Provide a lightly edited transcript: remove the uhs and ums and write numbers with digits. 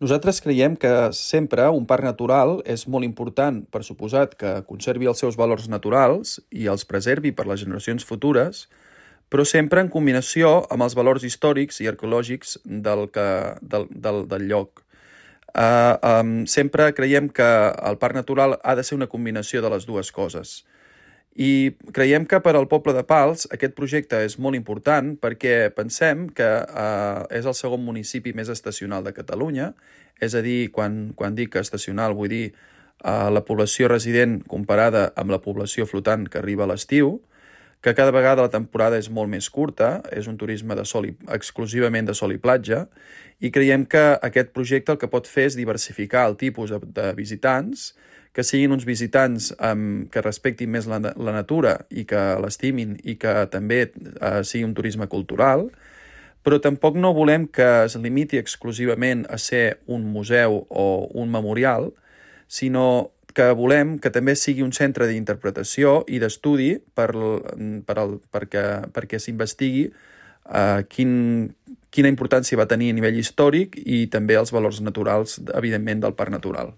Nosaltres creiem que sempre un parc natural és molt important, per suposat, que conservi els seus valors naturals i els preservi per les generacions futures, però sempre en combinació amb els valors històrics i arqueològics del lloc. Sempre creiem que el parc natural ha de ser una combinació de les dues coses. I creiem que per al poble de Pals aquest projecte és molt important perquè pensem que és el segon municipi més estacional de Catalunya, és a dir, quan dic estacional vull dir la població resident comparada amb la població flotant que arriba a l'estiu, que cada vegada la temporada és molt més curta, és un turisme exclusivament de sol i platja, i creiem que aquest projecte el que pot fer és diversificar el tipus de visitants, que siguin uns visitants que respectin més la natura i que l'estimin i que també sigui un turisme cultural, però tampoc no volem que es limiti exclusivament a ser un museu o un memorial, sinó que volem que també sigui un centre d'interpretació i d'estudi perquè s'investigui quina importància va tenir a nivell històric i també els valors naturals, evidentment, del parc natural.